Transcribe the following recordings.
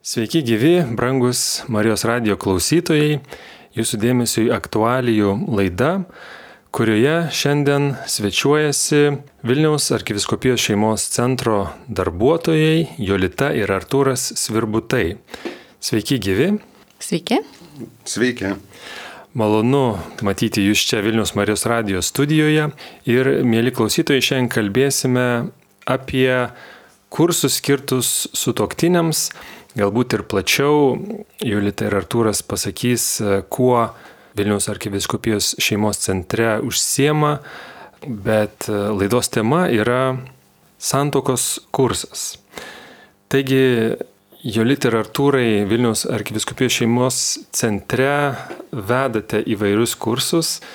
Sveiki gyvi, brangus Marijos radijo klausytojai, jūsų dėmesiui aktualijų laida, kurioje šiandien svečiuojasi Vilniaus arkivyskupijos šeimos centro darbuotojai Jolita ir Artūras Svirbutai. Sveiki gyvi. Sveiki. Sveiki. Malonu matyti jūs čia Vilniaus Marijos radijo studijoje ir, mėly klausytojai, šiandien kalbėsime apie kursus skirtus sutuoktiniams. Galbūt ir plačiau Jolita ir Artūras pasakys, kuo Vilniaus arkivyskupijos šeimos centre užsiema, bet laidos tema yra santuokos kursas. Taigi, Jolita ir Artūrai, Vilniaus arkivyskupijos šeimos centre vedate įvairius kursus.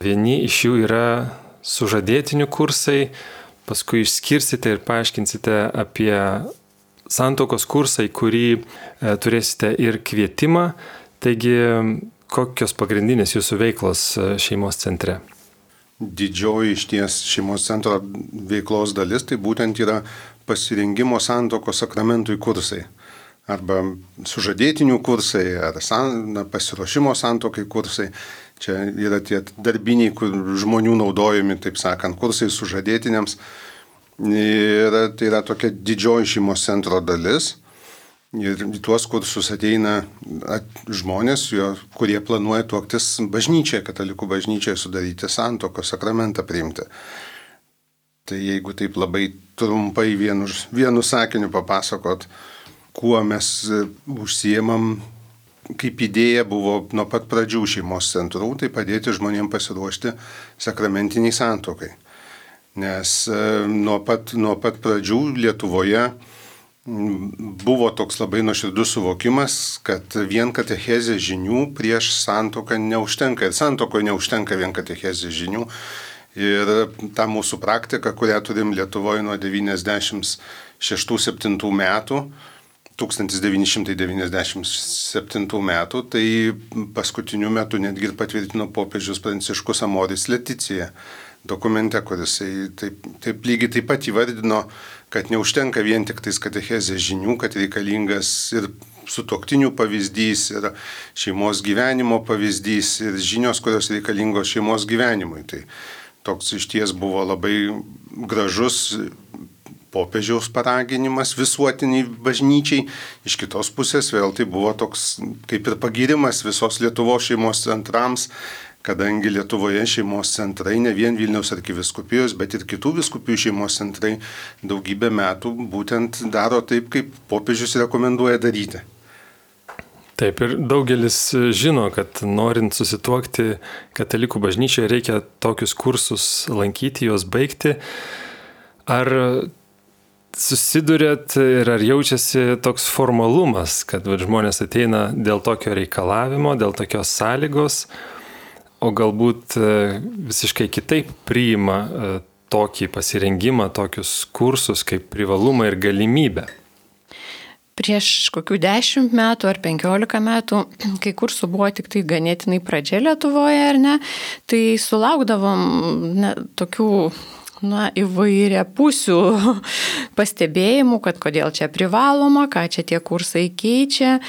Vieni iš jų yra sužadėtinių kursai, paskui išskirsite ir paaiškinsite apie santuokos kursą, į kurį turėsite ir kvietimą. Taigi, kokios pagrindinės jūsų veiklos šeimos centre? Didžioji išties šeimos centro veiklos dalis tai būtent yra pasirengimo santuokos sakramentui kursai. Arba sužadėtinių kursai, ar pasiruošimo santuokai kursai. Čia yra tie darbiniai žmonių naudojami, taip sakant, kursai sužadėtiniams. Ir tai yra tokia didžioji šeimos centro dalis. Ir į tuos kursus ateina žmonės, kurie planuoja tuoktis bažnyčioje, katalikų bažnyčioje, sudaryti santuokos sakramentą priimti. Tai jeigu taip labai trumpai vienu sakiniu papasakot, kuo mes užsiemam, kaip idėja buvo nuo pat pradžių šeimos centrų, tai padėti žmonėms pasiruošti sakramentiniai santuokai. Nes nuo pat pradžių Lietuvoje buvo toks labai nuoširdus suvokimas, kad vien katechezės žinių prieš santuoką neužtenka. Ir santuokoje neužtenka vien katechezės žinių. Ir ta mūsų praktika, kurią turim Lietuvoje nuo 96-97 metų, 1997 metų, tai paskutiniu metu netgi ir patvirtino popiežius Pranciškus Amoris Leticija dokumente, kuris taip lygiai taip pat įvardino, kad neužtenka vien tik tais katechezės žinių, kad reikalingas ir sutuoktinių pavyzdys, ir šeimos gyvenimo pavyzdys, ir žinios, kurios reikalingos šeimos gyvenimui. Tai toks išties buvo labai gražus popiežiaus paraginimas visuotiniai bažnyčiai. Iš kitos pusės vėl tai buvo toks kaip ir pagyrimas visos Lietuvos šeimos centrams, kadangi Lietuvoje šeimos centrai, ne vien Vilniaus arkivyskupijos, bet ir kitų vyskupijų šeimos centrai daugybę metų būtent daro taip, kaip popiežius rekomenduoja daryti. Taip, ir daugelis žino, kad norint susituokti katalikų bažnyčioje reikia tokius kursus lankyti, juos baigti. Ar susidurėt ir ar jaučiasi toks formalumas, kad žmonės ateina dėl tokio reikalavimo, dėl tokios sąlygos, o galbūt visiškai kitaip priima tokį pasirengimą, tokius kursus kaip privalumą ir galimybę? Prieš kokių 10 metų ar 15 metų, kai kursų buvo tik tai ganėtinai pradžia Lietuvoje, ar ne, tai sulaukdavom tokių įvairia pusių pastebėjimų, kad kodėl čia privaloma, ką čia tie kursai keičia.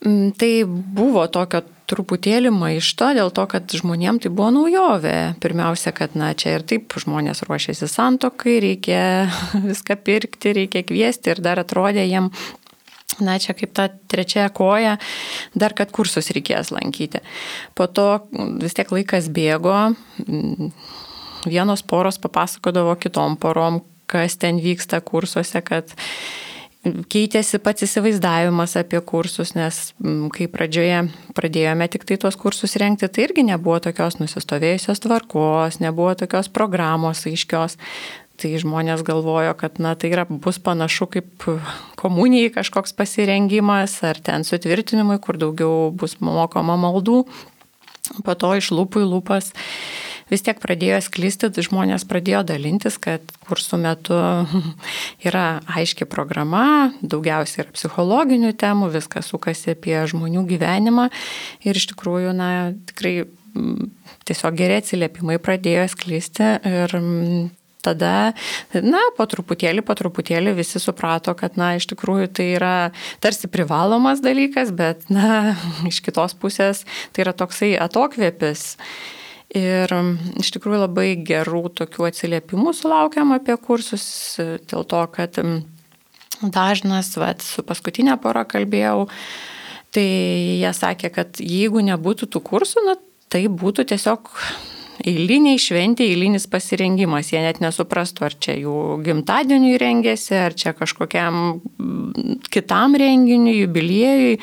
Tai buvo tokio truputėlį maišto dėl to, kad žmonėms tai buvo naujovė. Pirmiausia, kad čia ir taip žmonės ruošiasi santuokai, reikia viską pirkti, reikia kviesti ir dar atrodė jiem, čia kaip ta trečia koja, dar kad kursus reikės lankyti. Po to vis tiek laikas bėgo, vienos poros papasakodavo kitom porom, kas ten vyksta kursuose, kad keitėsi pats įsivaizdavimas apie kursus, nes kai pradžioje pradėjome tik tai tuos kursus rengti, tai irgi nebuvo tokios nusistovėjusios tvarkos, nebuvo tokios programos aiškios. Tai žmonės galvojo, kad tai bus panašu kaip komunijai kažkoks pasirengimas, ar ten sutvirtinimui, kur daugiau bus mokoma maldų. Po to iš lūpų į lūpas vis tiek pradėjo sklisti, žmonės pradėjo dalintis, kad kursų metu yra aiški programa, daugiausiai yra psichologinių temų, viskas sukasi apie žmonių gyvenimą ir iš tikrųjų, tikrai tiesiog geri atsiliepimai pradėjo sklisti ir tada, po truputėlį visi suprato, kad, iš tikrųjų tai yra tarsi privalomas dalykas, bet, iš kitos pusės tai yra toksai atokvėpis. Ir iš tikrųjų labai gerų tokių atsiliepimų sulaukiam apie kursus, dėl to, kad dažnas, su paskutinė pora kalbėjau, tai jie sakė, kad jeigu nebūtų tų kursų, tai būtų tiesiog eiliniai šventė, eilinis pasirengimas. Jie net nesuprastų, ar čia jų gimtadieniui rengėsi, ar čia kažkokiam kitam renginiui, jubiliejui.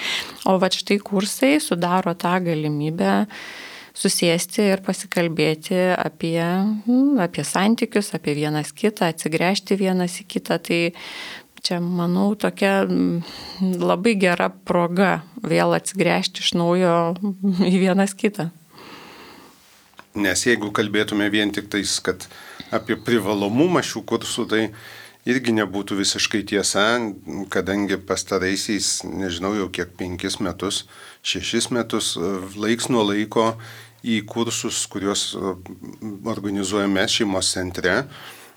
O štai kursai sudaro tą galimybę susėsti ir pasikalbėti apie santykius, apie vienas kitą, atsigręžti vienas į kitą. Tai čia, manau, tokia labai gera proga vėl atsigręžti iš naujo į vienas kitą. Nes jeigu kalbėtume vien tik tais, kad apie privalomumą šių kursų, tai irgi nebūtų visiškai tiesa, kadangi pastaraisiais, nežinau, jau kiek 5 metus, 6 metus, laiks nuo laiko į kursus, kuriuos organizuojame šeimos centre,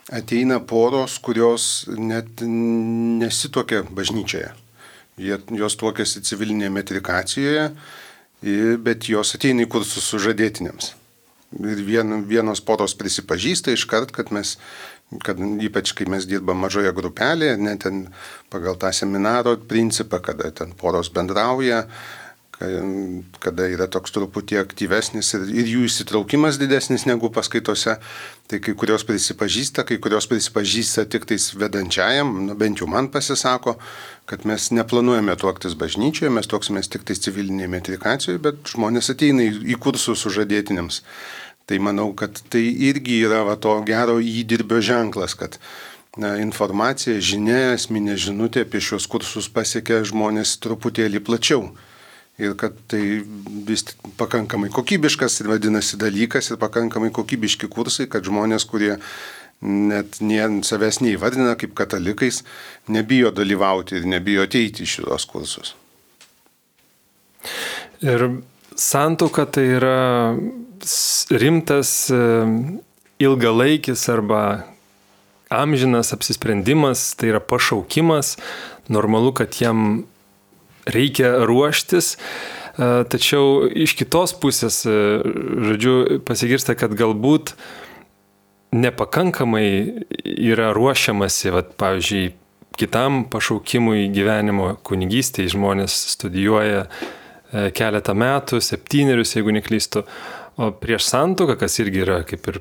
ateina poros, kurios net nesituokia bažnyčioje. Jos tuokiasi civilinėje metrikacijoje, bet jos ateina į kursus sužadėtiniams. Ir vienos poros prisipažįsta iškart, kad ypač kai mes dirbam mažoje grupelėje, net ten pagal tą seminaro principą, kada ten poros bendrauja, kada yra toks truputį aktyvesnis ir jų įsitraukimas didesnis negu paskaitose, tai kai kurios prisipažįsta tik tais vedančiajam, bent jau man pasisako, kad mes neplanuojame tuoktis bažnyčioje, mes tuoksimės tik tais civilinėje metrikacijoje, bet žmonės ateina į kursus sužadėtiniams. Tai manau, kad tai irgi yra to gero įdirbio ženklas, kad informacija, žinia, esminė žinutė apie šios kursus pasiekia žmonės truputėlį plačiau. Ir kad tai vis pakankamai kokybiškas ir vadinasi dalykas ir pakankamai kokybiški kursai, kad žmonės, kurie net savęs neįvardina kaip katalikais, nebijo dalyvauti ir nebijo ateiti į šitos kursus. Ir santuoka tai yra rimtas, ilgalaikis arba amžinas apsisprendimas, tai yra pašaukimas, normalu, kad jam reikia ruoštis, tačiau iš kitos pusės, pasigirsta, kad galbūt nepakankamai yra ruošiamasi, pavyzdžiui, kitam pašaukimui gyvenimo kunigystėje. Žmonės studijuoja keletą metų, 7, jeigu neklystu, o prieš santuoką, kas irgi yra kaip ir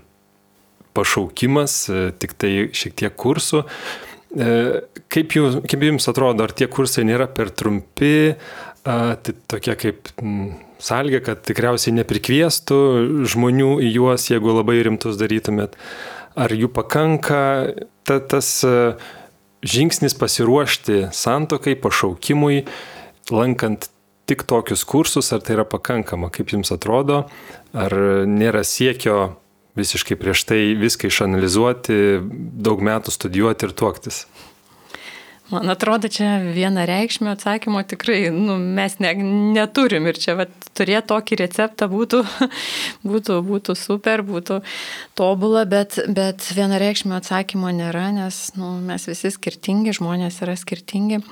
pašaukimas, tik tai šiek tiek kursų. Kaip jums atrodo, ar tie kursai nėra per trumpi, tai tokie kaip sąlyga, kad tikriausiai neprikviestų žmonių į juos, jeigu labai rimtus darytumėt, ar jų pakanka, tas žingsnis pasiruošti santuokai, pašaukimui, lankant tik tokius kursus, ar tai yra pakankama, kaip jums atrodo, ar nėra siekio visiškai prieš tai viską išanalizuoti, daug metų studijuoti ir tuoktis? Man atrodo, čia vienareikšmio atsakymo tikrai mes neturim ir čia turėti tokį receptą būtų super, būtų tobula, bet vienareikšmio atsakymo nėra, nes mes visi skirtingi, žmonės yra skirtingi.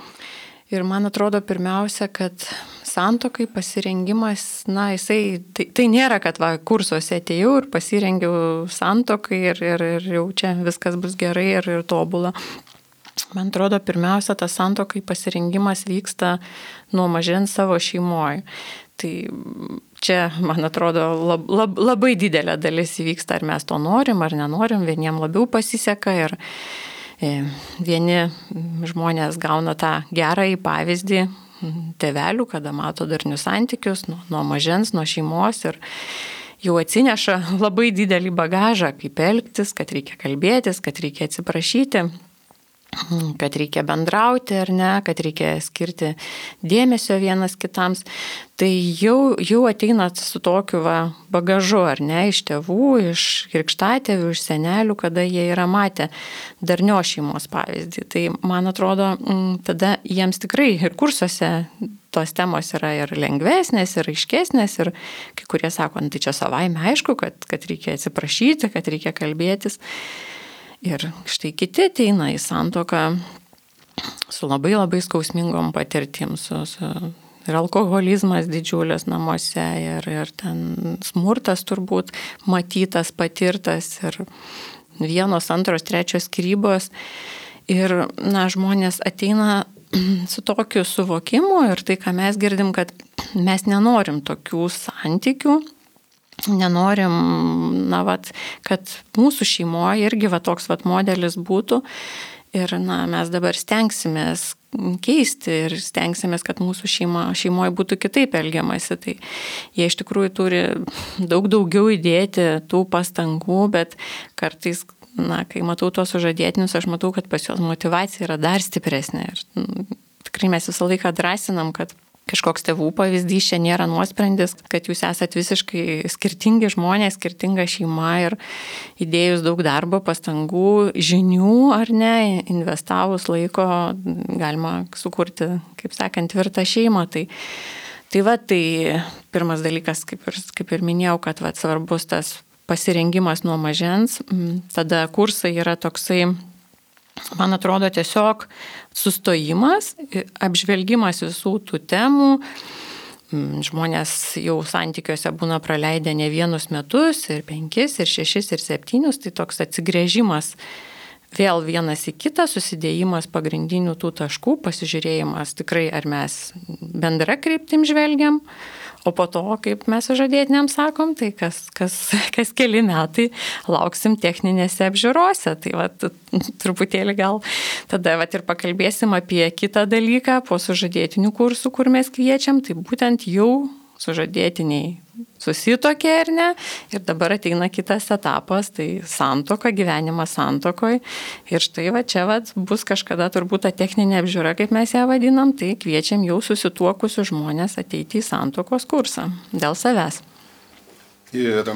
Ir man atrodo pirmiausia, kad santuokai pasirengimas, tai nėra, kad kursuose atėjau ir pasirengiau santuokai ir jau čia viskas bus gerai ir tobula. Man atrodo, pirmiausia, tas santuokai pasirengimas vyksta nuo mažens savo šeimoje. Tai čia, man atrodo, labai didelė dalis įvyksta, ar mes to norim, ar nenorim, vieniem labiau pasiseka ir vieni žmonės gauna tą gerąjį pavyzdį tėvelių, kada mato darnius santykius nuo mažens, nuo šeimos ir jau atsineša labai didelį bagažą, kaip elgtis, kad reikia kalbėtis, kad reikia atsiprašyti, kad reikia bendrauti ar ne, kad reikia skirti dėmesio vienas kitams. Tai jau ateina su tokiu bagažu, ar ne, iš tėvų, iš krikštatėvių, iš senelių, kada jie yra matę darnios šeimos pavyzdį. Tai man atrodo, tada jiems tikrai ir kursuose tos temos yra ir lengvesnės, ir aiškesnės, ir kai kurie sako, tai čia savaime aišku, kad reikia atsiprašyti, kad reikia kalbėtis. Ir štai kiti ateina į santuoką su labai labai skausmingom patirtim, ir alkoholizmas didžiulis namuose, ir ten smurtas turbūt matytas, patirtas, ir 1, 2, 3 skyrybos. Ir, žmonės ateina su tokiu suvokimu ir tai, ką mes girdim, kad mes nenorim tokių santykių, nenorim, kad mūsų šeimoje irgi toks modelis būtų. Ir mes dabar stengsimės keisti ir stengsimės, kad mūsų šeimoje būtų kitaip elgiamasi. Tai jie iš tikrųjų turi daug daugiau įdėti tų pastangų, bet kartais, kai matau tuos sužadėtinius, aš matau, kad pas juos motyvacija yra dar stipresnė. Ir tikrai mes visą laiką drąsinam, kad kažkoks tėvų pavyzdys čia nėra nuosprendis, kad jūs esat visiškai skirtingi žmonės, skirtinga šeima ir įdėjus daug darbo, pastangų, žinių ar ne, investavus laiko, galima sukurti, kaip sakant, tvirtą šeimą. Tai pirmas dalykas, kaip ir minėjau, kad svarbus tas pasirengimas nuo mažens. Tada kursai yra toksai, man atrodo, tiesiog sustojimas, apžvelgimas visų tų temų. Žmonės jau santykiuose būna praleidę ne 1 metus, ir 5, ir 6, ir 7, tai toks atsigręžimas vėl vienas į kitą, susidėjimas pagrindinių tų taškų, pasižiūrėjimas tikrai, ar mes bendra kryptim žvelgiam, o po to, kaip mes sužadėtiniam sakom, tai kas keli metai lauksim techninėse apžiūrose. Tai truputėlį gal tada ir pakalbėsim apie kitą dalyką po sužadėtinių kursų, kur mes kviečiam, tai būtent jau sužadėtiniai susitokė ar ne, ir dabar ateina kitas etapas, tai santuoka, gyvenimas santuokoje. Ir štai čia bus kažkada turbūt ta techninė apžiūra, kaip mes ją vadinam, tai kviečiam jau susituokusius žmonės ateiti į santuokos kursą dėl savęs. Ir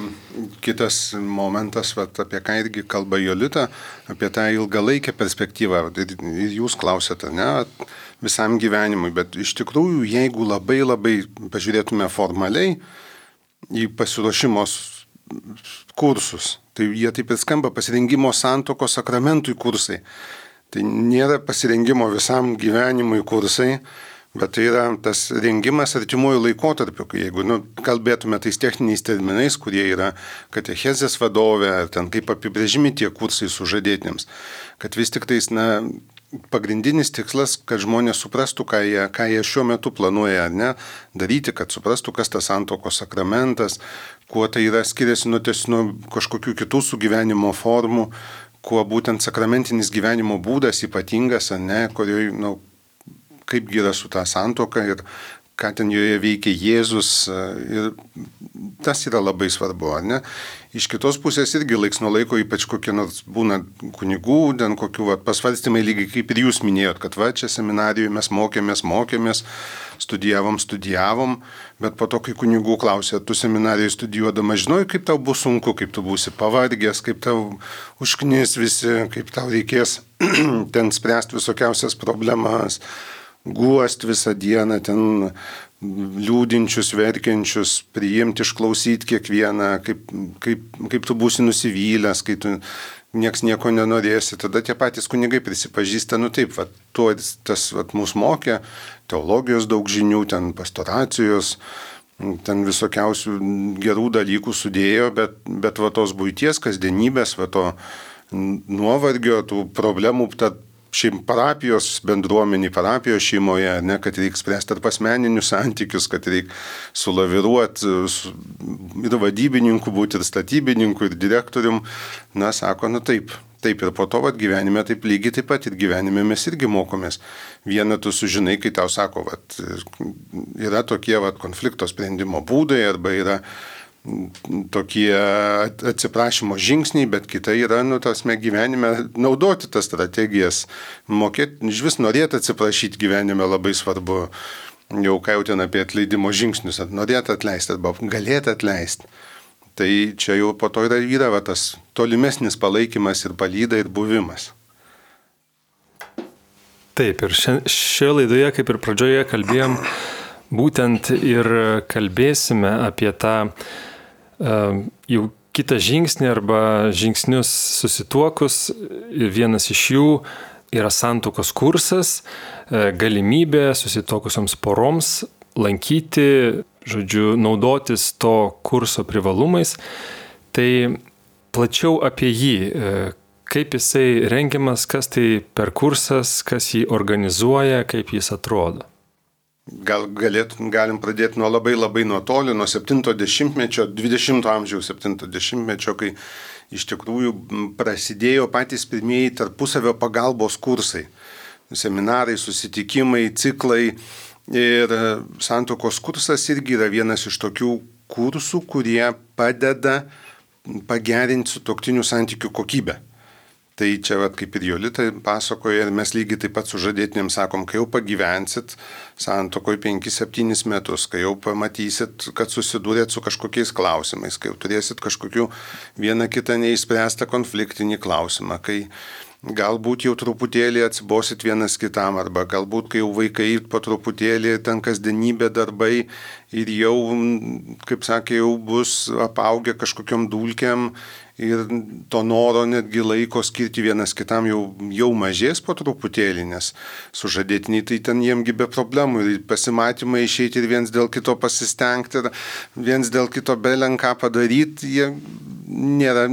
kitas momentas, apie ką irgi kalba Jolita, apie tą ilgalaikę perspektyvą. Ir jūs klausėte, ne, visam gyvenimui, bet iš tikrųjų, jeigu labai pažiūrėtume formaliai į pasiruošimo kursus, tai jie taip ir skamba pasirengimo santuokos sakramentui kursai. Tai nėra pasirengimo visam gyvenimui kursai, bet tai yra tas rengimas artimuoju laikotarpiu, jeigu kalbėtume tais techniniais terminais, kurie yra katechezės vadovė, ar ten kaip apibrėžimi tie kursai sužadėtiniams, kad vis tik tais, pagrindinis tikslas, kad žmonės suprastų, ką jie šiuo metu planuoja ar ne daryti, kad suprastų, kas tas santuokos sakramentas, kuo tai yra skiriasi nuo kažkokių kitų sugyvenimo formų, kuo būtent sakramentinis gyvenimo būdas ypatingas, ar ne, kurioje, kaipgi yra su ta santuoka ir ką ten joje veikia Jėzus, ir tas yra labai svarbu, ar ne? Iš kitos pusės irgi laiks nuo laiko, ypač kokie nors būna kunigų, ten kokių pasvarstymai, lygiai kaip ir jūs minėjot, kad čia seminarijoje mes mokėmės, studijavom, bet po to, kai kunigų klausė, tu seminarijoje studijuodama žinojai, kaip tau bus sunku, kaip tu būsi pavargęs, kaip tau užknis visi, kaip tau reikės ten spręsti visokiausias problemas, guost visą dieną, ten liūdinčius, verkiančius, priimti, išklausyti kiekvieną, kaip tu būsi nusivylęs, kai tu nieks nieko nenorėsi. Tada tie patys kunigai prisipažįsta, taip, tas mus mokė, teologijos daug žinių, ten pastoracijos, ten visokiausių gerų dalykų sudėjo, bet tos buities, kasdienybės, to nuovargio, tų problemų, parapijos bendruomenį, parapijos šeimoje, ne, kad reikia spręsti tarp asmeninius santykius, kad reikia sulaviruoti ir vadybininku būti, ir statybininku, ir direktorium. Sako, taip. Ir po to gyvenime taip lygiai taip pat ir gyvenime mes irgi mokomės. Vieną tu sužinai, kai tau sako, yra tokie konflikto sprendimo būdai, arba yra tokie atsiprašymo žingsniai, bet kita yra, gyvenime naudoti tas strategijas, mokėti, iš vis norėti atsiprašyti gyvenime labai svarbu, jau ką jau ten apie atleidimo žingsnius, norėti atleisti arba galėti atleisti. Tai čia jau po to yra tas tolimesnis palaikymas ir palyda ir buvimas. Taip, ir šioje laidoje, kaip ir pradžioje kalbėjom, būtent ir kalbėsime apie tą jau kitą žingsnį arba žingsnius susituokus. Vienas iš jų yra santuokos kursas, galimybė susituokusioms poroms lankyti, naudotis to kurso privalumais. Tai plačiau apie jį, kaip jisai rengiamas, kas tai per kursas, kas jį organizuoja, kaip jis atrodo. Galim pradėti nuo labai nuo toli, nuo 70-mečio, 20 amžiaus 70-mečio, kai iš tikrųjų prasidėjo patys pirmieji tarpusavio pagalbos kursai. Seminarai, susitikimai, ciklai. Ir santuokos kursas irgi yra vienas iš tokių kursų, kurie padeda pagerinti sutuoktinių santykių kokybę. Tai čia kaip ir Jolita pasakoja, ir mes lygiai taip pat sužadėtiniam sakom, kai jau pagyvensit santuokoje 5-7 metus, kai jau pamatysit, kad susidūrėt su kažkokiais klausimais, kai jau turėsit kažkokių vieną kitą neįspręstą konfliktinį klausimą, kai galbūt jau truputėlį atsibosit vienas kitam, arba galbūt kai jau vaikai po truputėlį ten kasdienybė darbai ir jau, kaip sakė, jau bus apaugę kažkokiom dulkėm ir to noro netgi laiko skirti vienas kitam jau mažės po truputėlį, nes sužadėtiniai tai ten jiemgi be problemų ir pasimatymai išeiti ir viens dėl kito pasistengti ir viens dėl kito belenką padaryti, jie nėra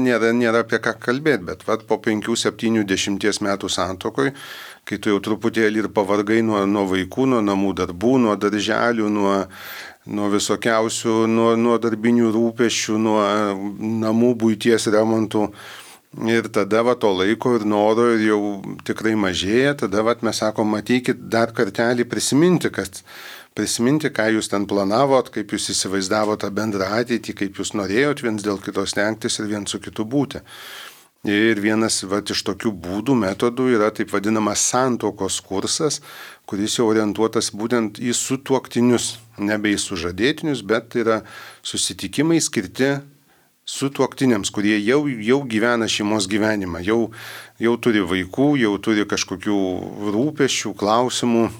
apie ką kalbėti, bet po 5-7-10 metų santuokoj, kai tu jau truputėlį ir pavargai nuo vaikų, nuo namų darbų, nuo darželių, nuo visokiausių, nuo darbinių rūpesčių, nuo namų buities remontų. Ir tada to laiko ir noro ir jau tikrai mažėja, tada mes sakom, ateikit dar kartelį prisiminti, ką jūs ten planavot, kaip jūs įsivaizdavote tą bendrą ateitį, kaip jūs norėjot viens dėl kito stengtis ir viens su kitu būti. Ir vienas iš tokių būdų, metodų yra taip vadinamas santuokos kursas, kuris jau orientuotas būtent į sutuoktinius, nebe į sužadėtinius, bet yra susitikimai skirti sutuoktiniams, kurie jau gyvena šeimos gyvenimą, jau turi vaikų, jau turi kažkokių rūpesčių, klausimų.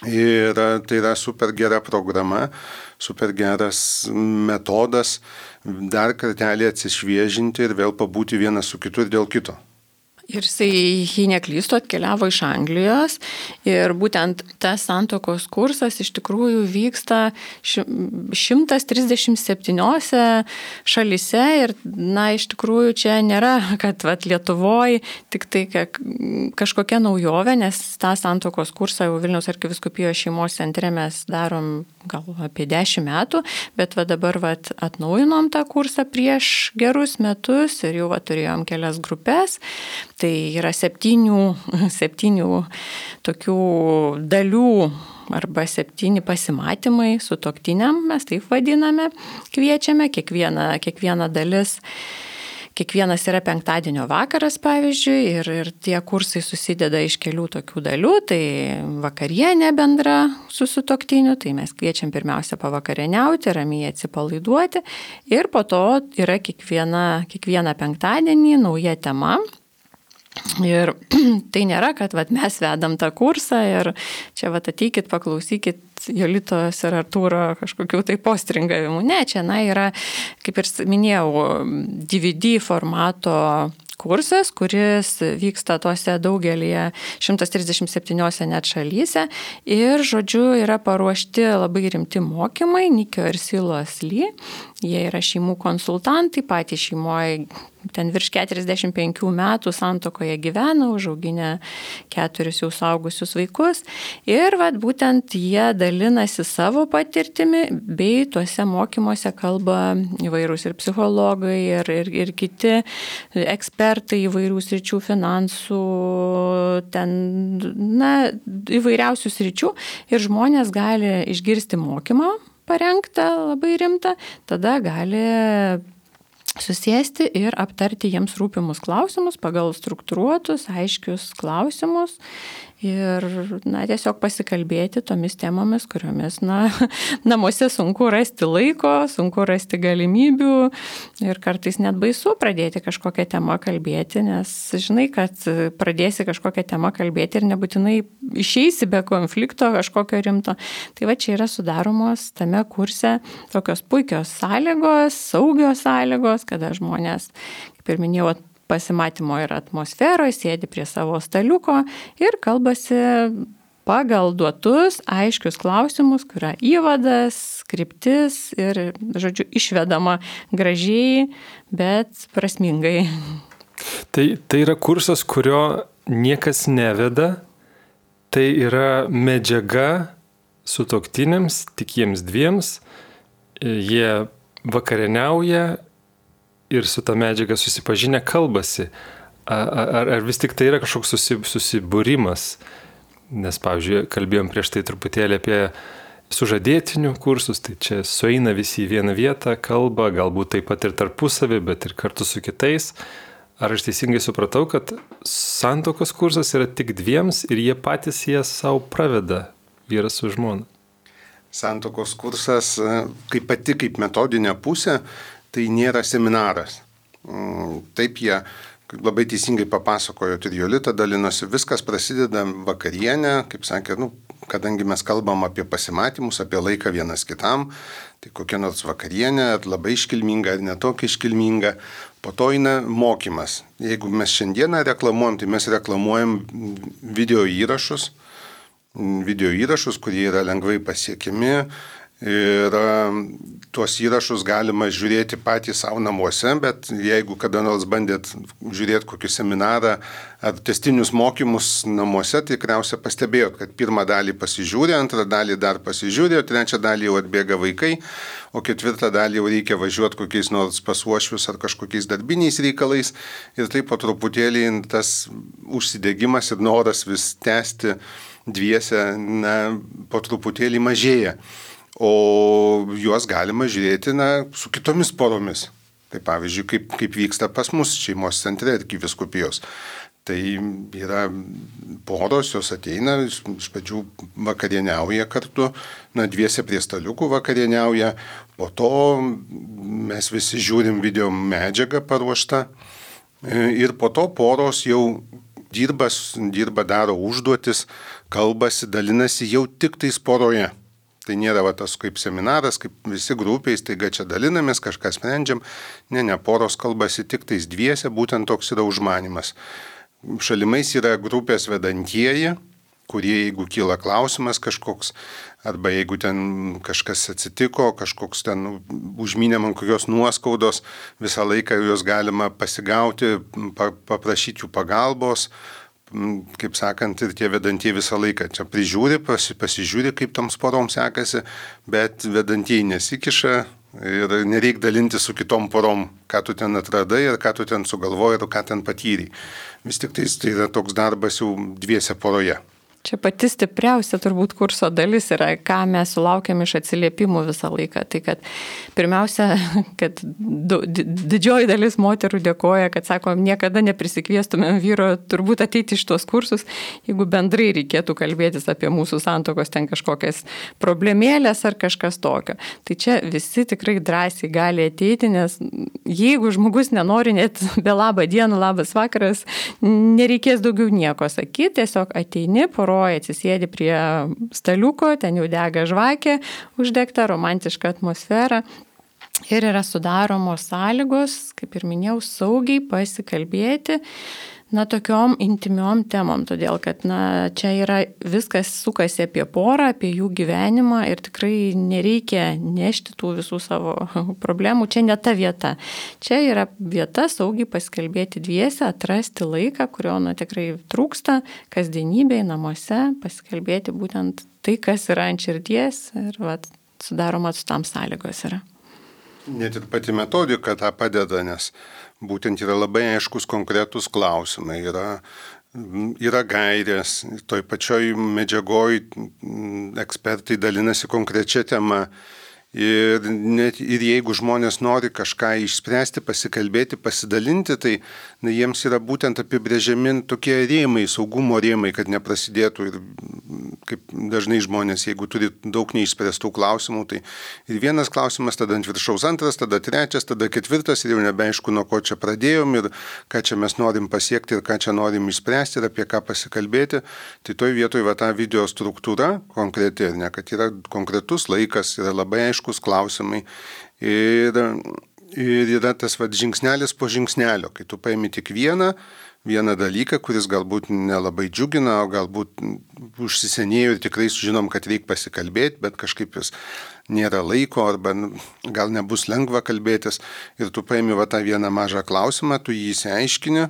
Ir tai yra super gera programa, super geras metodas dar kartelį atsišviežinti ir vėl pabūti vienas su kitu ir dėl kito. Ir jei neklystu, atkeliavo iš Anglijos ir būtent tas santuokos kursas iš tikrųjų vyksta 137 šalyse ir, iš tikrųjų čia nėra, kad Lietuvoje tik tai kažkokia naujovė, nes tą santuokos kursą jau Vilniaus arkivyskupijos šeimos centre mes darom gal apie 10 metų, bet dabar atnaujinom tą kursą prieš gerus metus ir jau turėjom kelias grupės. Tai yra 7 tokių dalių arba 7 pasimatymai sutuoktiniam, mes taip vadiname, kviečiame, kiekviena dalis. Kiekvienas yra penktadienio vakaras, pavyzdžiui, ir tie kursai susideda iš kelių tokių dalių, tai vakarienė bendra su sutuoktiniu, tai mes kviečiam pirmiausia pavakarieniauti, ramiai atsipalaiduoti ir po to yra kiekvieną penktadienį nauja tema. Ir tai nėra, kad mes vedam tą kursą ir čia ateikit, paklausykit Jolitos ir Artūro kažkokių tai postringavimų. Ne, čia yra, kaip ir minėjau, DVD formato kursas, kuris vyksta tose daugelį 137 net šalyse ir, yra paruošti labai rimti mokymai, Nikio ir Silos Lee. Jie yra šeimų konsultantai, patys šeimoje ten virš 45 metų santuokoje gyvena, užauginę 4 jau suaugusius vaikus ir būtent jie dalinasi savo patirtimi, bei tuose mokymuose kalba įvairūs ir psichologai, ir kiti ekspertai įvairių sričių, finansų, įvairiausių sričių ir žmonės gali išgirsti mokymą parengtą labai rimtą, tada gali susėsti ir aptarti jiems rūpimus klausimus pagal struktūruotus, aiškius klausimus ir, tiesiog pasikalbėti tomis temomis, kuriomis, namuose sunku rasti laiko, sunku rasti galimybių ir kartais net baisu pradėti kažkokią temą kalbėti, nes žinai, kad pradėsi kažkokią temą kalbėti ir nebūtinai išeisi be konflikto kažkokio rimto. Tai va čia yra sudaromos tame kurse tokios puikios sąlygos, saugios sąlygos, kada žmonės, kaip ir minėjau, pasimatymo ir atmosferoje, sėdi prie savo staliuko ir kalbasi pagal duotus aiškius klausimus, kuria įvadas, kryptis ir, žodžiu, išvedama gražiai, bet prasmingai. Tai yra kursas, kurio niekas neveda, tai yra medžiaga sutuoktiniams, tik jiems dviems, jie vakarieniauja ir su ta medžiaga susipažinę kalbasi. Ar vis tik tai yra kažkoks susibūrimas? Nes, pavyzdžiui, kalbėjom prieš tai truputėlį apie sužadėtinių kursus, tai čia sueina visi į vieną vietą, kalba, galbūt taip pat ir tarpusavį, bet ir kartu su kitais. Ar aš teisingai supratau, kad santuokos kursas yra tik dviems ir jie patys savo praveda, vyras su žmona? Santuokos kursas, kaip metodinė pusė, tai nėra seminaras. Taip jie labai teisingai papasakojo ir Jolita dalinosi, viskas prasideda vakarienę, kaip sakė, kadangi mes kalbam apie pasimatymus, apie laiką vienas kitam, tai kokia nors vakarienė, labai iškilminga ar netokia iškilminga, po to eina mokymas. Jeigu mes šiandieną reklamuojam, tai mes reklamuojam video įrašus, kurie yra lengvai pasiekiami. Ir tuos įrašus galima žiūrėti patys savo namuose, bet jeigu kada nors bandėt žiūrėti kokį seminarą ar testinius mokymus namuose, tai tikriausiai pastebėjot, kad pirmą dalį pasižiūrė, antrą dalį dar pasižiūrė, trečią dalį jau atbėga vaikai, o ketvirtą dalį jau reikia važiuoti kokiais nors pas uošvius ar kažkokiais darbiniais reikalais. Ir taip po truputėlį tas užsidegimas ir noras vis tęsti dviese, po truputėlį mažėja. O juos galima žiūrėti su kitomis poromis. Tai pavyzdžiui, kaip vyksta pas mus šeimos centre arkivyskupijos. Tai yra poros, jos ateina, iš pradžių vakarieniauja kartu, dviese prie staliukų vakarieniauja, po to mes visi žiūrim video medžiagą paruoštą ir po to poros jau dirba, daro užduotis, kalbasi, dalinasi jau tik tais poroje. Tai nėra tas kaip seminaras, kaip visi grupiais, taiga čia dalinamės, kažką sprendžiam. Ne, poros kalbasi tik tais dviese, būtent toks yra užmanimas. Šalimais yra grupės vedantieji, kurie, jeigu kyla klausimas kažkoks, arba jeigu ten kažkas atsitiko, kažkoks ten užmynė man kokios nuoskaudos, visą laiką juos galima pasigauti, paprašyti jų pagalbos. Kaip sakant, ir tie vedantieji visą laiką čia prižiūri, pasižiūri, kaip toms poroms sekasi, bet vedantieji nesikiša ir nereik dalinti su kitom porom, ką tu ten atradai ir ką tu ten sugalvojai ir ką ten patyrei. Vis tik tai yra toks darbas jau dviese poroje. Čia pati stipriausia turbūt kurso dalis yra, ką mes sulaukiam iš atsiliepimų visą laiką. Tai kad pirmiausia, kad didžioji dalis moterų dėkoja, kad sako, niekada neprisikviestumėm vyro turbūt ateiti iš tuos kursus, jeigu bendrai reikėtų kalbėtis apie mūsų santuokos ten kažkokias problemėlės ar kažkas tokio. Tai čia visi tikrai drąsiai gali ateiti, nes jeigu žmogus nenori net be labą dieną, labas vakaras, nereikės daugiau nieko sakyti, tiesiog ateini, atsisėdi prie staliuko, ten jau dega žvakė, uždegta romantiška atmosfera ir yra sudaromos sąlygos, kaip ir minėjau, saugiai pasikalbėti, tokiom intimiom temom, todėl kad, čia yra viskas sukasi apie porą, apie jų gyvenimą ir tikrai nereikia nešti tų visų savo problemų, čia ne ta vieta. Čia yra vieta saugiai pasikalbėti dviese, atrasti laiką, kurio, tikrai trūksta kasdienybėje, namuose, pasikalbėti būtent tai, kas yra ant širdies ir sudaromas tam sąlygos yra. Net ir pati metodika tą padeda, nes būtent yra labai aiškus konkretus klausimai, yra gairės, toj pačioj medžiagoj ekspertai dalinasi konkrečia tema Ir jeigu žmonės nori kažką išspręsti, pasikalbėti, pasidalinti, tai jiems yra būtent apibrėžiami tokie rėmai, saugumo rėmai, kad neprasidėtų. Ir kaip dažnai žmonės, jeigu turi daug neišspręstų klausimų, tai ir vienas klausimas, tada ant viršaus antras, tada trečias, tada ketvirtas ir jau nebeaišku, nuo ko čia pradėjom ir ką čia mes norim pasiekti ir ką čia norim išspręsti ir apie ką pasikalbėti. Tai toj vietoj ta video struktūra konkreti, ne, kad yra konkretus laikas, yra labai aiškus klausimai ir yra tas žingsnelis po žingsnelio, kai tu paimi tik vieną dalyką, kuris galbūt nelabai džiugina, o galbūt užsisenėjo ir tikrai sužinom, kad reikia pasikalbėti, bet kažkaip jis nėra laiko arba gal nebus lengva kalbėtis ir tu paimi tą vieną mažą klausimą, tu jį įsiaiškini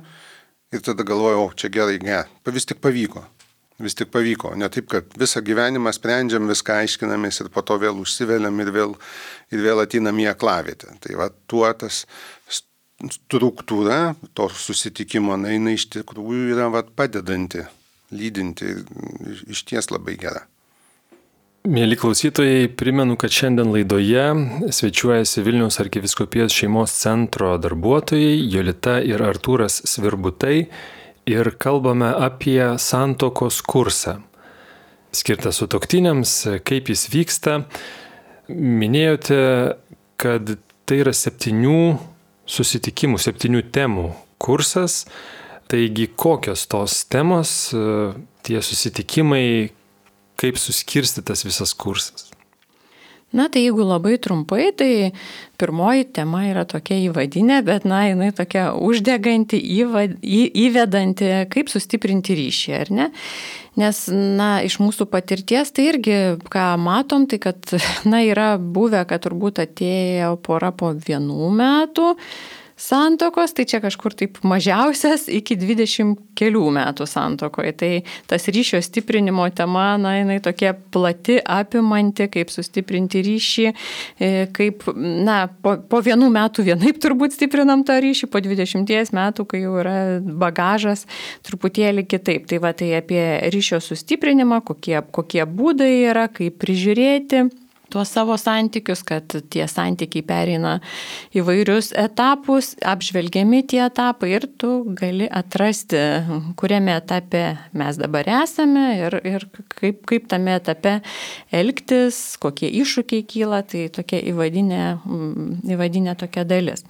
ir tada galvoji, čia gerai, vis tik pavyko. Vis tik pavyko, ne taip, kad visą gyvenimą sprendžiam, viską aiškinamės ir po to vėl užsiveliam ir vėl atinam į aklavietę. Tai tuo tas struktūra to susitikimo, jinai iš tikrųjų yra padedanti, lydinti ir išties labai gera. Mėly klausytojai, primenu, kad šiandien laidoje svečiuojasi Vilniaus arkivyskupijos šeimos centro darbuotojai Jolita ir Artūras Svirbutai. Ir kalbame apie santuokos kursą, skirtą sutuoktiniams, kaip jis vyksta. Minėjote, kad tai yra 7 susitikimų, 7 temų kursas. Taigi, kokios tos temos, tie susitikimai, kaip suskirstytas visas kursas? Na, tai jeigu labai trumpai, tai pirmoji tema yra tokia įvadinė, bet, jinai tokia uždeganti, įvedanti, kaip sustiprinti ryšį, ar ne? Nes, iš mūsų patirties, tai irgi, ką matom, tai kad, yra buvę, kad turbūt atėjo pora po 1 metų santuokos, tai čia kažkur taip mažiausias iki 20 kelių metų santuokoje. Tai tas ryšio stiprinimo tema, jinai tokia plati, apimanti, kaip sustiprinti ryšį, kaip, po 1 metų vienaip turbūt stiprinam tą ryšį, po 20 metų, kai jau yra bagažas, truputėlį kitaip. Tai apie ryšio sustiprinimą, kokie būdai yra, kaip prižiūrėti tuos savo santykius, kad tie santykiai pereina įvairius etapus, apžvelgiami tie etapai ir tu gali atrasti, kuriame etape mes dabar esame ir kaip tame etape elgtis, kokie iššūkiai kyla, tai tokia įvadinė tokia dalis.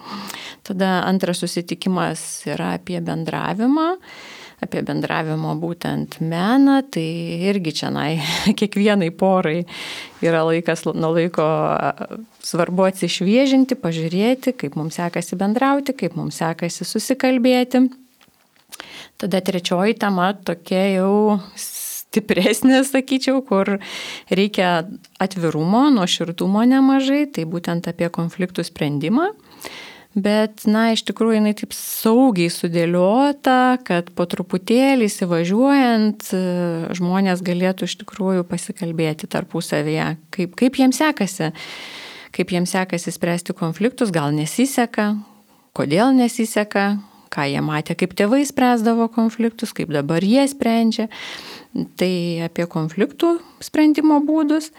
Tada antras susitikimas yra apie bendravimą būtent meną, tai irgi čia kiekvienai porai yra laikas nuo laiko svarbu atsišviežinti, pažiūrėti, kaip mums sekasi bendrauti, kaip mums sekasi susikalbėti. Tada trečioji tema tokia jau stipresnė, sakyčiau, kur reikia atvirumo, nuoširdumo nemažai, tai būtent apie konfliktų sprendimą. Bet, iš tikrųjų, jinai taip saugiai sudėliota, kad po truputėlį įsivažiuojant žmonės galėtų iš tikrųjų pasikalbėti tarpusavyje, kaip jiems sekasi spręsti konfliktus, gal nesiseka, kodėl nesiseka, ką jie matė, kaip tėvai spręsdavo konfliktus, kaip dabar jie sprendžia. Tai apie konfliktų sprendimo būdus.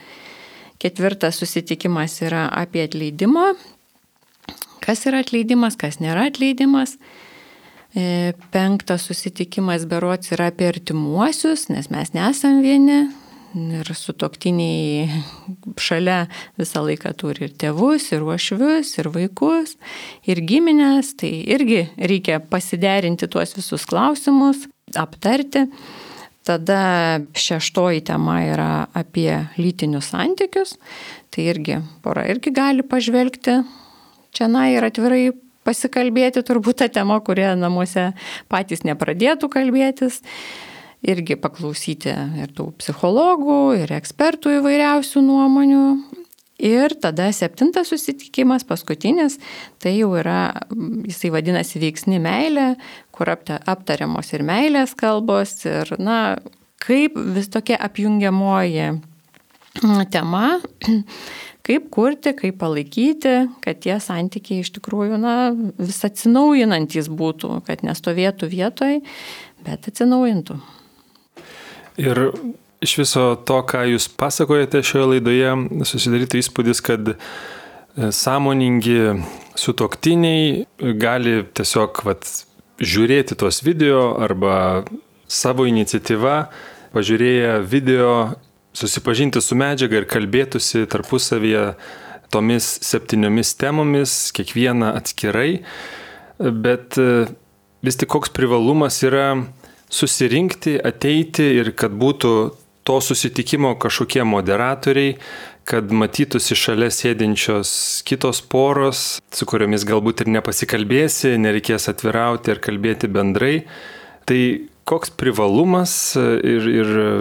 4 susitikimas yra apie atleidimą. Kas yra atleidimas, kas nėra atleidimas. 5 susitikimas berods yra apie artimuosius, nes mes nesam vieni ir sutuoktiniai šalia visą laiką turi ir tėvus, ir uošvius, ir vaikus, ir giminės. Tai irgi reikia pasiderinti tuos visus klausimus, aptarti. Tada 6 tema yra apie lytinius santykius. Tai irgi pora irgi gali pažvelgti čia ir atvirai pasikalbėti, turbūt ta tema, kurie namuose patys nepradėtų kalbėtis. Irgi paklausyti ir tų psichologų, ir ekspertų įvairiausių nuomonių. Ir tada 7 susitikimas, paskutinis, tai jau yra, jisai vadinasi veiksni meilė, kur aptariamos ir meilės kalbos, ir kaip vis tokia apjungiamoji tema, kaip kurti, kaip palaikyti, kad tie santykiai iš tikrųjų vis atsinaujinantys būtų, kad nestovėtų vietoj, bet atsinaujintų. Ir iš viso to, ką jūs pasakojate šioje laidoje, susidarytų įspūdis, kad sąmoningi sutuoktiniai gali tiesiog žiūrėti tuos video arba savo iniciatyva, pažiūrėję video, susipažinti su medžiaga ir kalbėtųsi tarpusavyje tomis 7 temomis, kiekvieną atskirai, bet vis tik koks privalumas yra susirinkti, ateiti ir kad būtų to susitikimo kažkokie moderatoriai, kad matytųsi šalia sėdinčios kitos poros, su kuriomis galbūt ir nepasikalbėsi, nereikės atvirauti ir kalbėti bendrai. Tai koks privalumas ir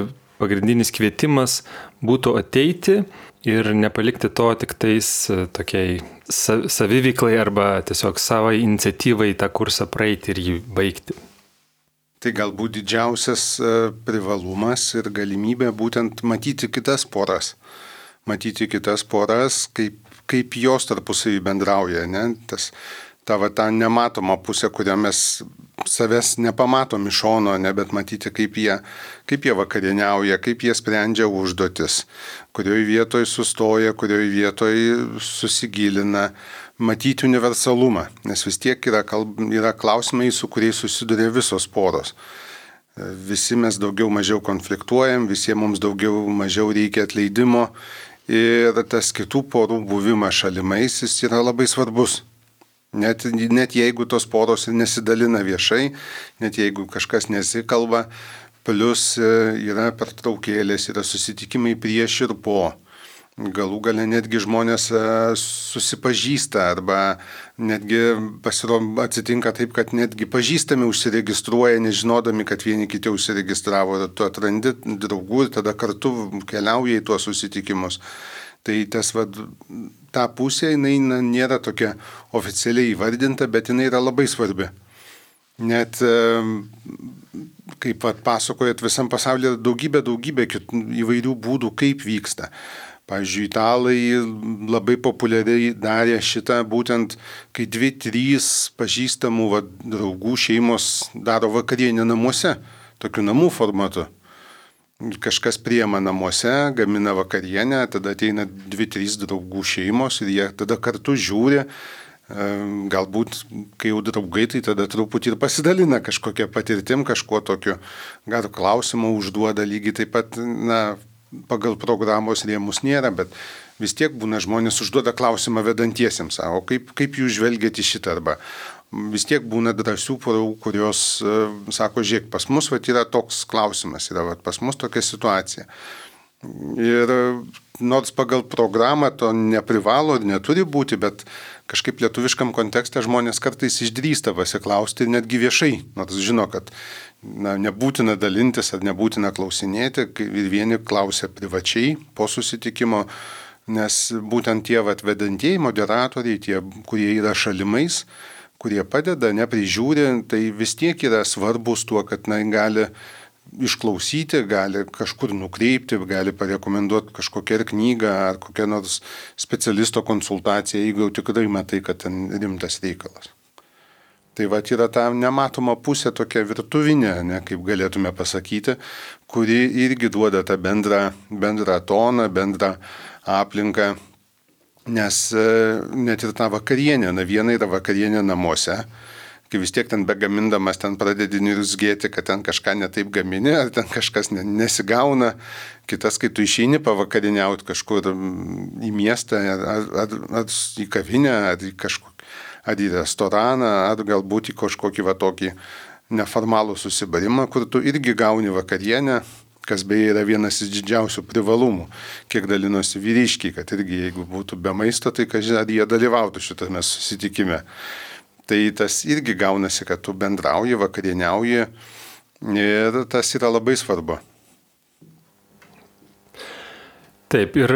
pagrindinis kvietimas būtų ateiti ir nepalikti to tik tais tokiai saviveiklai arba tiesiog savo iniciatyvai tą kursą praeiti ir jį baigti. Tai galbūt didžiausias privalumas ir galimybė būtent matyti kitas poras. Matyti kitas poras, kaip jos tarpusavy bendrauja, ne? Ta nematoma pusė, kurią mes savęs nepamatom iš šono, ne, bet matyti, kaip jie vakarieniauja, kaip jie sprendžia užduotis, kurioje vietoje sustoja, kurioje vietoje susigilina, matyti universalumą, nes vis tiek yra klausimai, su kuriais susiduria visos poros. Visi mes daugiau mažiau konfliktuojam, visiems mums daugiau mažiau reikia atleidimo ir tas kitų porų buvimas šalimais jis yra labai svarbus. Net jeigu tos poros ir nesidalina viešai, net jeigu kažkas nesikalba, plus yra pertraukėlės, yra susitikimai prieš ir po. Galų gale netgi žmonės susipažįsta arba netgi atsitinka taip, kad netgi pažįstami užsiregistruoja, nežinodami, kad vieni kiti užsiregistravo, tu atrandi draugų ir tada kartu keliauja į tuos susitikimus. Tai ta pusė, jinai nėra tokia oficialiai įvardinta, bet jinai yra labai svarbi. Net, kaip pasakojat, visam pasaulyje daugybė įvairių būdų, kaip vyksta. Pavyzdžiui, italai labai populiariai darė šitą būtent, kai 2-3 pažįstamų draugų šeimos daro vakarienę namuose, tokiu namų formatu. Kažkas priema namuose, gamina vakarienę, tada ateina 2-3 draugų šeimos ir jie tada kartu žiūri, galbūt, kai jau draugai, tai tada truputį ir pasidalina kažkokia patirtim, kažkuo tokiu, gal klausimą užduoda lygiai taip pat, pagal programos rėmus nėra, bet vis tiek būna žmonės užduoda klausimą vedantiesiems, o kaip jūs žvelgiate į šitą arba. Vis tiek būna drąsių porų, kurios sako, žiūrėk, pas mus yra toks klausimas, yra pas mus tokia situacija. Ir nors pagal programą to neprivalo ir neturi būti, bet kažkaip lietuviškam kontekste žmonės kartais išdrįsta pasiklausti ir netgi viešai, nors žino, kad nebūtina dalintis ar nebūtina klausinėti, ir vieni klausia privačiai po susitikimo, nes būtent tie vedantieji moderatoriai, tie, kurie yra šalimais, kurie padeda, neprižiūri, tai vis tiek yra svarbus tuo, kad gali išklausyti, gali kažkur nukreipti, gali parekomenduoti kažkokią ir knygą ar kokią nors specialisto konsultaciją, jeigu jau tikrai matai, kad ten rimtas reikalas. Tai yra ta nematoma pusė tokia virtuvinė, kaip galėtume pasakyti, kuri irgi duoda tą bendrą toną, bendrą aplinką. Nes net ir ta vakarienė, viena yra vakarienė namuose, kai vis tiek ten begamindamas ten pradedi niurzgėti, kad ten kažką netaip gamini, ar ten kažkas nesigauna, kitas, kai tu išeini pavakarieniauti kažkur į miestą, ar į kavinę, ar į restoraną, ar galbūt į kažkokį tokį neformalų susibarimą, kur tu irgi gauni vakarienę, kas beje yra vienas iš didžiausių privalumų, kiek dalinosi vyriškiai, kad irgi jeigu būtų be maisto, tai ar jie dalyvautų šitame susitikime. Tai tas irgi gaunasi, kad tu bendrauji, vakarieniauji ir tas yra labai svarbu. Taip, ir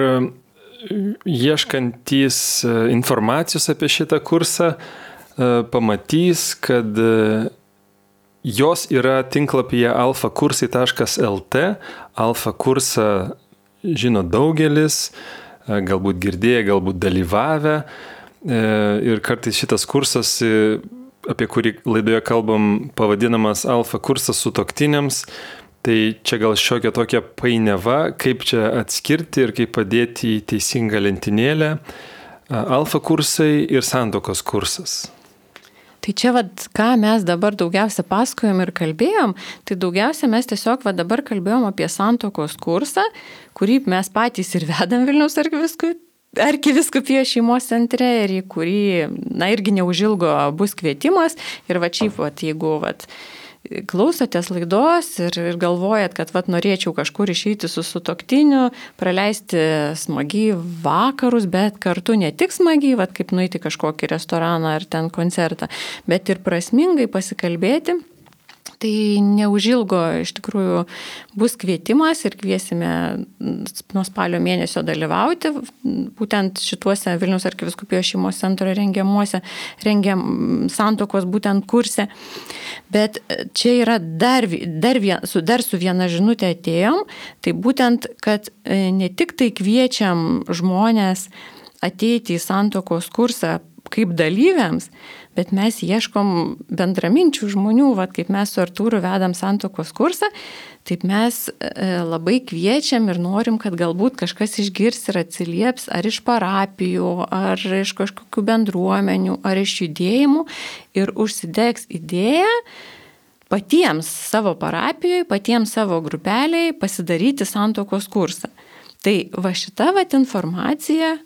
ieškantys informacijos apie šitą kursą pamatys, kad jos yra tinklapyje alfakursai.lt. Alfa kursą žino daugelis, galbūt girdėję, galbūt dalyvavę. Ir kartais šitas kursas, apie kurį laidoje kalbam, pavadinamas Alfa kursas sutuoktiniams, Tai čia gal šiokia tokia painiava, kaip čia atskirti ir kaip padėti į teisingą lentynėlę alfa kursai ir santuokos kursas. Tai čia, ką mes dabar daugiausia pasakojom ir kalbėjom, tai daugiausia mes tiesiog dabar kalbėjom apie santuokos kursą, kurį mes patys ir vedam Vilniaus arkivyskupijos šeimos centre ir į kurį, irgi neužilgo bus kvietimas. Ir jeigu klausotės laidos ir galvojat, kad norėčiau kažkur išeiti su sutuoktiniu, praleisti smagiai vakarus, bet kartu ne tik smagiai, kaip nueiti kažkokį restoraną ar ten koncertą, bet ir prasmingai pasikalbėti. Tai neužilgo iš tikrųjų bus kvietimas ir kviesime nuo spalio mėnesio dalyvauti būtent šituose Vilniaus arkivyskupijos šeimos centro rengiam santuokos būtent kurse. Bet čia yra dar su viena žinutė atėjom, tai būtent, kad ne tik tai kviečiam žmonės ateiti į santuokos kursą kaip dalyviams, bet mes ieškom bendraminčių žmonių, kaip mes su Artūru vedam santuokos kursą, taip mes labai kviečiam ir norim, kad galbūt kažkas išgirs ir atsilieps ar iš parapijų, ar iš kažkokių bendruomenių, ar iš judėjimų ir užsidegs idėją patiems savo parapijoje, patiems savo grupeliai pasidaryti santuokos kursą. Tai šita informacija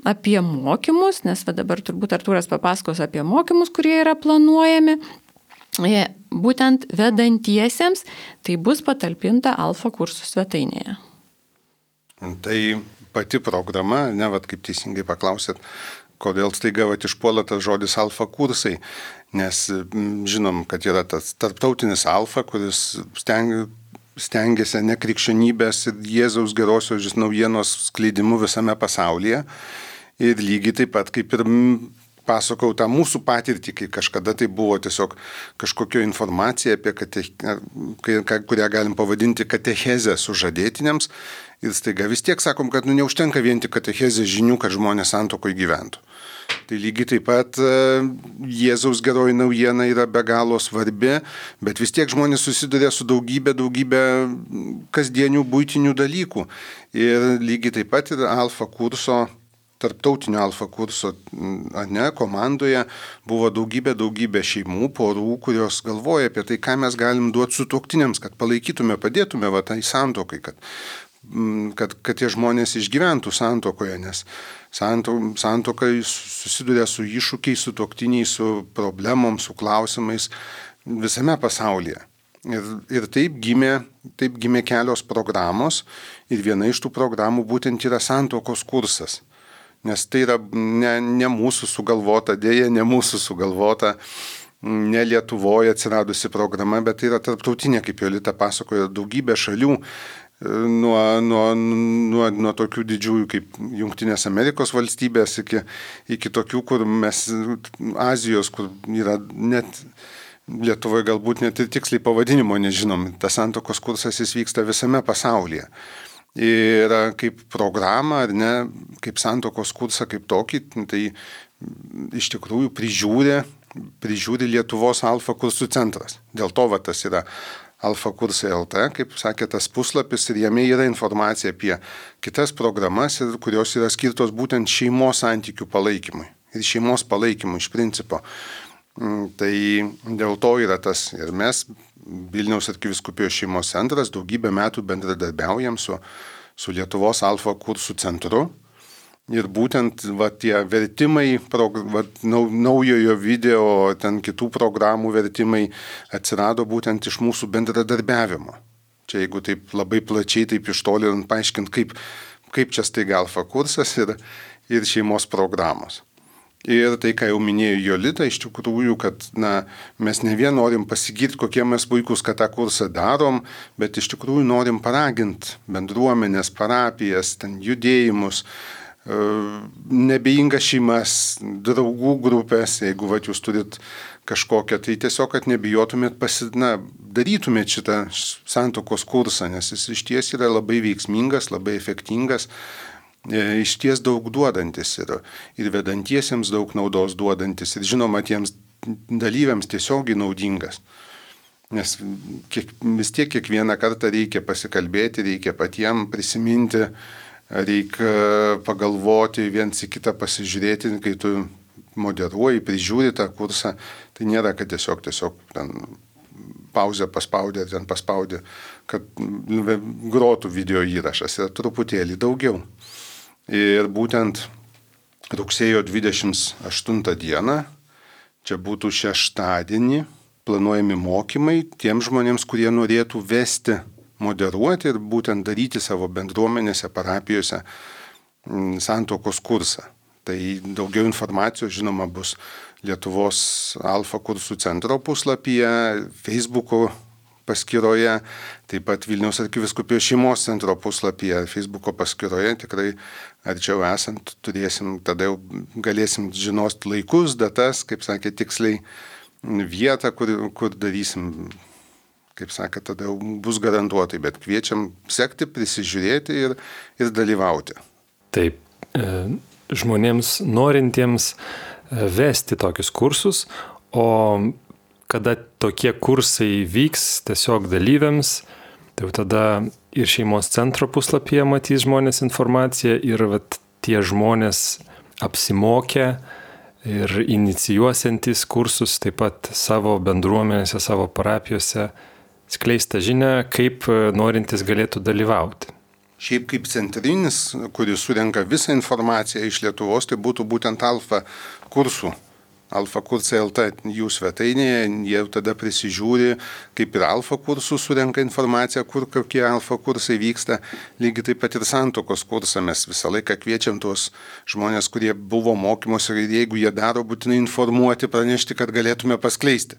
apie mokymus, nes dabar turbūt Artūras papasakos apie mokymus, kurie yra planuojami, būtent vedantiesiems, tai bus patalpinta Alfa kursų svetainėje. Tai pati programa, kaip teisingai paklausėt, kodėl staiga išpuola tas žodis Alfa kursai, nes žinom, kad yra tas tarptautinis Alfa, kuris stengiasi nekrikščionybės ir Jėzaus gerosios naujienos skleidimu visame pasaulyje. Ir lygiai taip pat, kaip ir pasakau tą mūsų patirtį, kai kažkada tai buvo tiesiog kažkokia informacija, kurią galim pavadinti katechezę sužadėtiniams. Ir staiga vis tiek sakom, kad neužtenka vien tik katechezės žinių, kad žmonės santuokoje gyventų. Tai lygiai taip pat Jėzaus geroji naujiena yra be galo svarbi, bet vis tiek žmonės susiduria su daugybė kasdienių buitinių dalykų. Ir lygiai taip pat ir tarptautinio Alfa kurso komandoje buvo daugybė šeimų, porų, kurios galvoja apie tai, ką mes galim duoti sutuoktiniams, kad palaikytume, padėtume tai santuokai, kad tie žmonės išgyventų santuokoje, nes santuoka susiduria su iššūkiais, sutuoktiniais, su problemom, su klausimais visame pasaulyje. Ir taip gimė kelios programos ir viena iš tų programų būtent yra santuokos kursas. Nes tai yra ne mūsų sugalvota, ne Lietuvoje atsiradusi programa, bet tai yra tarptautinė, kaip Jolita pasakojo, daugybė šalių, nuo tokių didžiųjų kaip Jungtinės Amerikos valstybės iki tokių, kur Azijos, kur yra net Lietuvoje galbūt net ir tiksliai pavadinimo nežinom. Tas santuokos kursas jis vyksta visame pasaulyje. Ir kaip programa, kaip santuokos kursą kaip tokį, tai iš tikrųjų prižiūri Lietuvos Alfa kursų centras. Dėl to tas yra Alfa kursai LT, kaip sakė tas puslapis, ir jame yra informacija apie kitas programas, kurios yra skirtos būtent šeimos santykių palaikymui ir šeimos palaikymui iš principo. Tai dėl to yra tas ir mes Vilniaus arkivyskupijos šeimos centras daugybę metų bendradarbiaujam su Lietuvos Alfa kursų centru. Ir būtent tie vertimai, naujojo video, ten kitų programų vertimai atsirado būtent iš mūsų bendradarbiavimo. Čia jeigu taip labai plačiai, taip iš toli paaiškinti, kaip čia staiga Alfa kursas ir šeimos programos. Ir tai, ką jau minėjo Jolita, iš tikrųjų, kad mes ne vien norim pasigirti, kokie mes puikus, kad tą kursą darom, bet iš tikrųjų norim paraginti bendruomenės, parapijas, judėjimus, nebejingas šeimas, draugų grupės, jeigu jūs turit kažkokią, tai tiesiog, kad nebijotumėt darytumėt šitą santuokos kursą, nes jis iš ties yra labai veiksmingas, labai efektingas, iš ties daug duodantis ir vedantiesiems daug naudos duodantis ir žinoma tiems dalyviams tiesiogiai naudingas. Nes vis tiek kiekvieną kartą reikia pasikalbėti, reikia patiems prisiminti, reikia pagalvoti, viens į kitą pasižiūrėti, kai tu moderuoji, prižiūri tą kursą, tai nėra, kad tiesiog ten pauzę paspaudė, ten paspaudė, kad grotų video įrašas, yra truputėlį daugiau. Ir būtent rugsėjo 28 dieną, čia būtų šeštadienį, planuojami mokymai tiems žmonėms, kurie norėtų vesti, moderuoti ir būtent daryti savo bendruomenėse, parapijose santuokos kursą. Tai daugiau informacijos, žinoma, bus Lietuvos Alfa kursų centro puslapyje, Facebook'o paskyroje, taip pat Vilniaus arkivyskupijos šeimos centro puslapyje, Facebook'o paskyroje, tikrai arčiau esant turėsim, tada jau galėsim žinos laikus, datas, kaip sakė, tiksliai vietą, kur darysim, kaip sakė, tada jau bus garantuotai, bet kviečiam sekti, prisižiūrėti ir dalyvauti. Taip, žmonėms norintiems vesti tokius kursus, o kada tokie kursai vyks tiesiog dalyviams, tai tada ir šeimos centro puslapyje matys žmonės informaciją ir tie žmonės apsimokę ir inicijuosiantys kursus taip pat savo bendruomenėse, savo parapijose skleista žinia, kaip norintys galėtų dalyvauti. Šiaip kaip centrinis, kuris surenka visą informaciją iš Lietuvos, tai būtų būtent Alfa kursų. Alfa kursai LT jų svetainėje, jie tada prisižiūri, kaip ir Alfa kursų surenka informaciją, kur kokie Alfa kursai vyksta. Lygiai taip pat ir santuokos kursą mes visą laiką kviečiam tuos žmonės, kurie buvo mokymuose ir jeigu jie daro, būtinai informuoti, pranešti, kad galėtume paskleisti.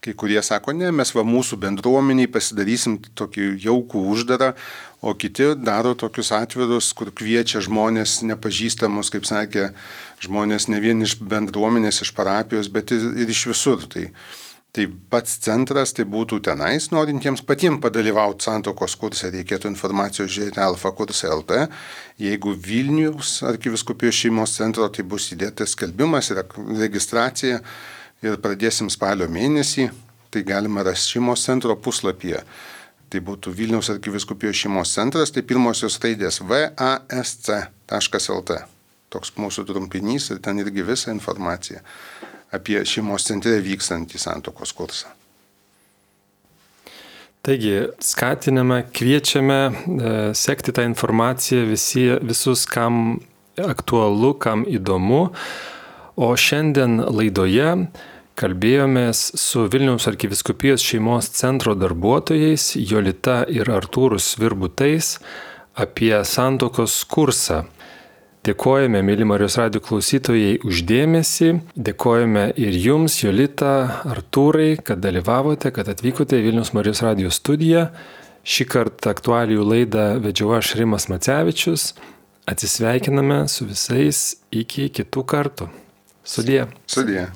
Kai kurie sako, ne, mes mūsų bendruomeniai pasidarysim tokį jaukų uždarą, o kiti daro tokius atvirus, kur kviečia žmonės nepažįstamus, kaip sakė, žmonės ne vien iš bendruomenės, iš parapijos, bet ir iš visur. Tai pats centras, tai būtų tenais, norintiems patiems padalyvauti santuokos kurse, reikėtų informacijos žiūrėti Alfa kursai LT. Jeigu Vilniaus arkivyskupijos šeimos centro, tai bus įdėtas skelbimas ir registracija. Ir pradėsim spalio mėnesį, tai galima rasti šeimos centro puslapyje. Tai būtų Vilniaus arkivyskupijos šeimos centras, tai pirmosios raidės vasc.lt. Toks mūsų trumpinys ir ten irgi visa informacija apie šeimos centre vykstantį santuokos kursą. Taigi, skatiname, kviečiame sekti tą informaciją visus, kam aktualu, kam įdomu. O šiandien laidoje kalbėjomės su Vilniaus arkivyskupijos šeimos centro darbuotojais Jolita ir Artūru Svirbutais apie santuokos kursą. Dėkojame, mėly Marijos radijo klausytojai, už dėmesį. Dėkojame ir jums, Jolita, Artūrai, kad dalyvavote, kad atvykote į Vilniaus Marijos radijo studiją. Šį kartą aktualijų laidą vedžiau aš, Rimas Macevičius. Atsisveikiname su visais iki kitų kartų. Sudie. Sudie.